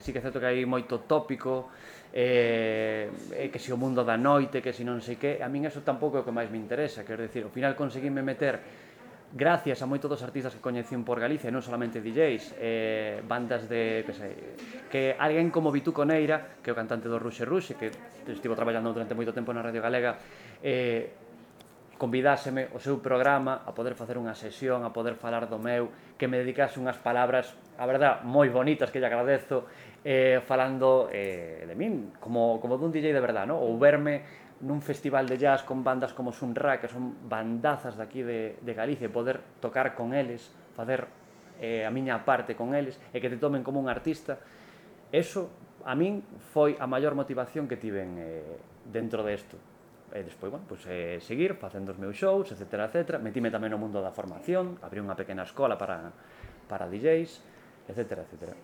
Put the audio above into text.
sí que é certo que hai moito tópico, que si o mundo da noite, que si non sei que, a min eso tampouco é o que máis me interesa, quero dicir, ao final conseguime meter, gracias a moitos dos artistas que coñecín por Galicia, non solamente DJs, bandas de, que sei, que alguén como Vitú Coneira, que é o cantante do Ruxe Ruxe, que estivo traballando durante moito tempo na Radio Galega, convidáseme ao seu programa a poder facer unha sesión, a poder falar do meu, que me dedicase unhas palabras, a verdad, moi bonitas que lle agradezo, falando de min, como dun DJ de verdad, no? Ou verme nun festival de jazz con bandas como Sun Ra, que son bandazas daqui de Galicia, e poder tocar con eles, facer a miña parte con eles, e que te tomen como un artista, eso, a min, foi a maior motivación que tiven dentro desto. E despois, bueno, pues, seguir facendo os meus shows, etcétera, etcétera. Metíme tamén no mundo da formación, abrí unha pequena escola para DJs, etcétera, etcétera.